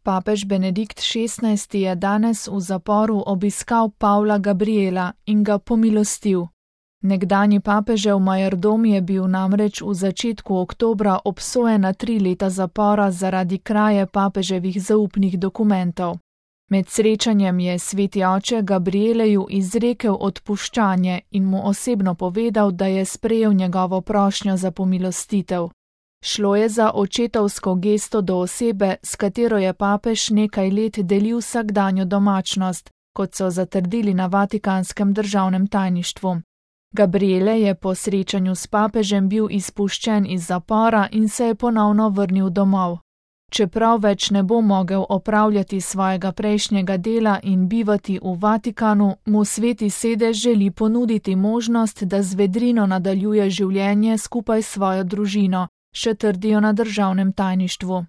Papež Benedikt XVI je danes v zaporu obiskal Pavla Gabriela in ga pomilostil. Nekdanji papežev majordom je bil namreč v začetku oktobra obsojen na 3 leta zapora zaradi kraje papeževih zaupnih dokumentov. Med srečanjem je sveti oče Gabrieleju izrekel odpuščanje in mu osebno povedal, da je sprejel njegovo prošnjo za pomilostitev. Šlo je za očetovsko gesto do osebe, s katero je papež nekaj let delil vsakdanjo domačnost, kot so zatrdili na Vatikanskem državnem tajništvu. Gabriele je po srečanju s papežem bil izpuščen iz zapora in se je ponovno vrnil domov. Čeprav več ne bo mogel opravljati svojega prejšnjega dela in bivati v Vatikanu, mu sveti sedež želi ponuditi možnost, da z vedrino nadaljuje življenje skupaj s svojo družino, še trdijo na državnem tajništvu.